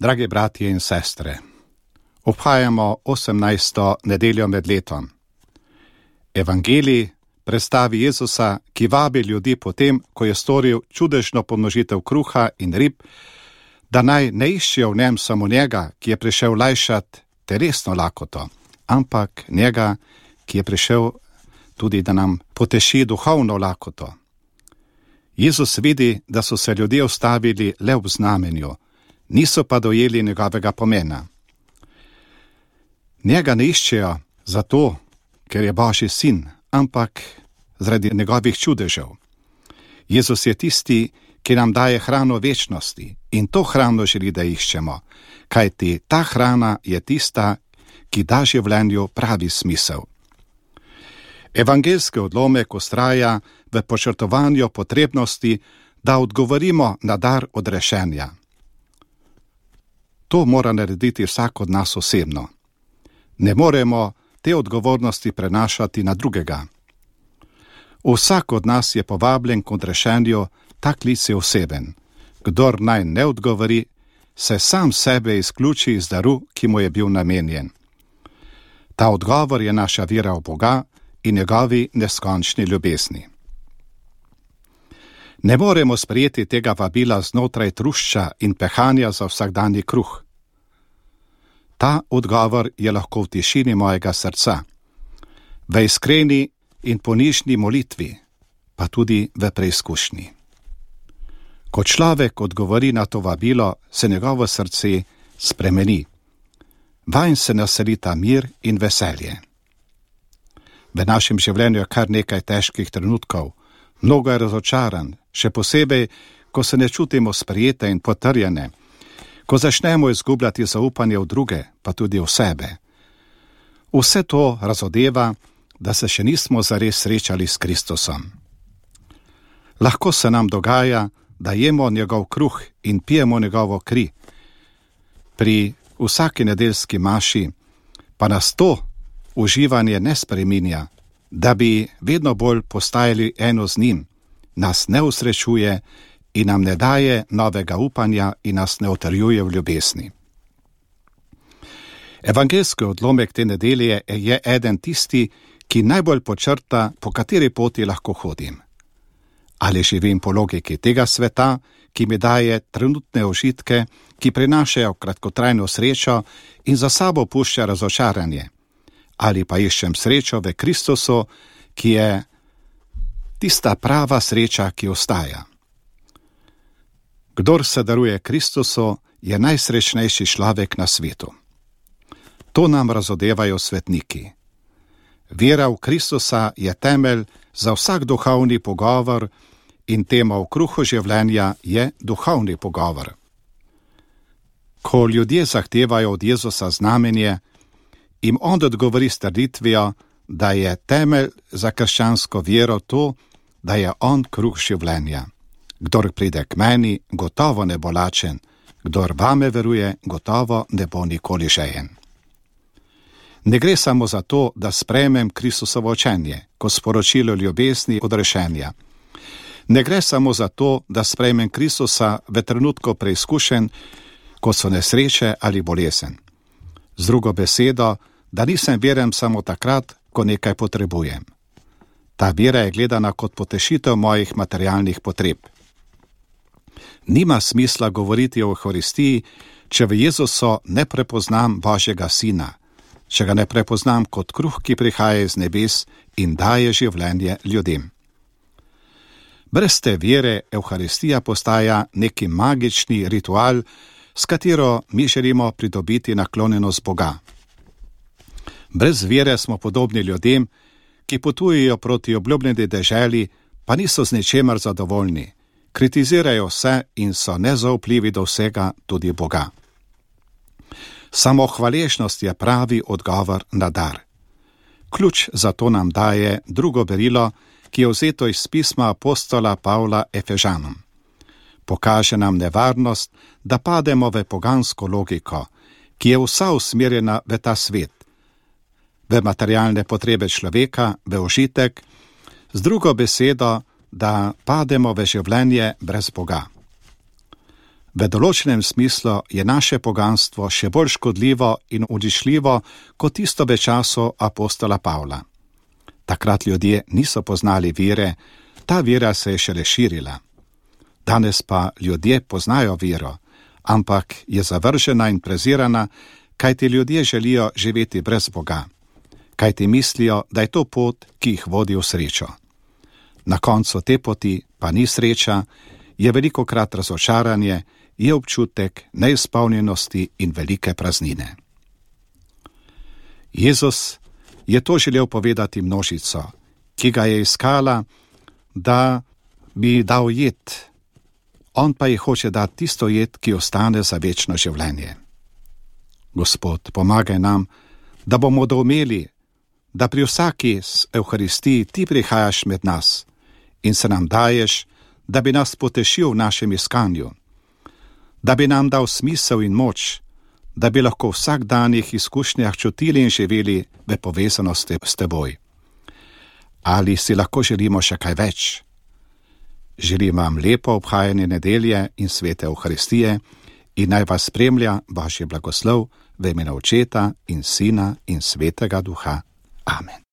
Dragi bratje in sestre, obhajamo 18. nedeljo med letom. Evangelij predstavi Jezusa, ki vabi ljudi potem, ko je storil čudežno pomnožitev kruha in rib, da naj ne iščejo v njem samo njega, ki je prišel lajšati telesno lakoto, ampak njega, ki je prišel tudi, da nam poteši duhovno lakoto. Jezus vidi, da so se ljudje ustavili le v znamenju, niso pa dojeli njegovega pomena. Njega ne iščejo zato, ker je Božji sin, ampak zaradi njegovih čudežev. Jezus je tisti, ki nam daje hrano večnosti, in to hrano želi, da iščemo, kajti ta hrana je tista, ki da življenju pravi smisel. Evangeljski odlomek vztraja v podčrtovanju potrebnosti, da odgovorimo na dar odrešenja. To mora narediti vsak od nas osebno. Ne moremo te odgovornosti prenašati na drugega. Vsak od nas je povabljen k odrešenju, ta klic je oseben. Kdor naj ne odgovori, se sam sebe izključi iz daru, ki mu je bil namenjen. Ta odgovor je naša vera v Boga in njegovi neskončni ljubezni. Ne moremo sprejeti tega vabila znotraj trušča in pehanja za vsakdanji kruh. Ta odgovor je lahko v tišini mojega srca, v iskreni in ponižni molitvi, pa tudi v preizkušnji. Ko človek odgovori na to vabilo, se njegovo srce spremeni. Vanj se naselita mir in veselje. V našem življenju je kar nekaj težkih trenutkov, mnogo je razočaran, še posebej, ko se ne čutimo sprejete in potrjene, ko začnemo izgubljati zaupanje v druge, pa tudi v sebe. Vse to razodeva, da se še nismo zares srečali s Kristusom. Lahko se nam dogaja, da jemo njegov kruh in pijemo njegovo kri. Pri vsaki nedeljski maši pa nas to uživanje ne spreminja, da bi vedno bolj postajali eno z njim, nas ne usrečuje in nam ne daje novega upanja in nas ne utrjuje v ljubezni. Evangeljski odlomek te nedelje je eden tisti, ki najbolj počrta, po kateri poti lahko hodim. Ali živim po logiki tega sveta, ki mi daje trenutne užitke, ki prinašajo kratkotrajno srečo in za sabo pušča razočaranje, ali pa iščem srečo v Kristusu, ki je tista prava sreča, ki ostaja. Kdor se daruje Kristusu, je najsrečnejši človek na svetu. To nam razodevajo svetniki. Vera v Kristusa je temelj za vsak duhovni pogovor in tema v kruhu življenja je duhovni pogovor. Ko ljudje zahtevajo od Jezusa znamenje, jim on odgovori s trditvijo, da je temelj za krščansko vero to, da je on kruh življenja. Kdor pride k meni, gotovo ne bo lačen, kdor vame veruje, gotovo ne bo nikoli žejen. Ne gre samo za to, da sprejmem Kristusovo učenje, kot sporočilo ljubezni odrešenja. Ne gre samo za to, da sprejmem Kristusa v trenutku preizkušenj, ko so nesreče ali bolezen. Z drugo besedo, da nisem veren samo takrat, ko nekaj potrebujem. Ta vera je gledana kot potešitev mojih materialnih potreb. Nima smisla govoriti o Evharistiji, če v Jezusu ne prepoznam Božjega Sina, če ga ne prepoznam kot kruh, ki prihaja iz nebes in daje življenje ljudem. Brez te vere Evharistija postaja neki magični ritual, s katero mi želimo pridobiti naklonjenost Boga. Brez vere smo podobni ljudem, ki potujejo proti obljubljeni deželi, pa niso z ničemer zadovoljni, kritizirajo vse in so nezaupljivi do vsega, tudi Boga. Samo hvaležnost je pravi odgovor na dar. Ključ za to nam daje drugo berilo, ki je vzeto iz pisma apostola Pavla Efežanom. Pokaže nam nevarnost, da pademo v pogansko logiko, ki je vsa usmerjena v ta svet, v materialne potrebe človeka, v užitek, z drugo besedo, da pademo v življenje brez Boga. V določenem smislu je naše poganstvo še bolj škodljivo in uničljivo kot tisto v času apostola Pavla. Takrat ljudje niso poznali vere, ta vera se je šele širila. Danes pa ljudje poznajo vero, ampak je zavržena in prezirana, kajti ljudje želijo živeti brez Boga, kajti mislijo, da je to pot, ki jih vodi v srečo. Na koncu te poti pa ni sreča, je velikokrat razočaranje, je občutek neizpolnjenosti in velike praznine. Jezus je to želel povedati množico, ki ga je iskala, da bi dal jed. On pa ji hoče dati tisto jed, ki ostane za večno življenje. Gospod, pomagaj nam, da bomo doumeli, da pri vsaki Evharistiji ti prihajaš med nas in se nam daješ, da bi nas potešil v našem iskanju, da bi nam dal smisel in moč, da bi lahko v vsakdanjih izkušnjah čutili in živeli v povezanosti s teboj. Ali si lahko želimo še kaj več? Želim vam lepo obhajanje nedelje in svete Evharistije in naj vas spremlja Božji blagoslov v imenu Očeta in Sina in Svetega Duha. Amen.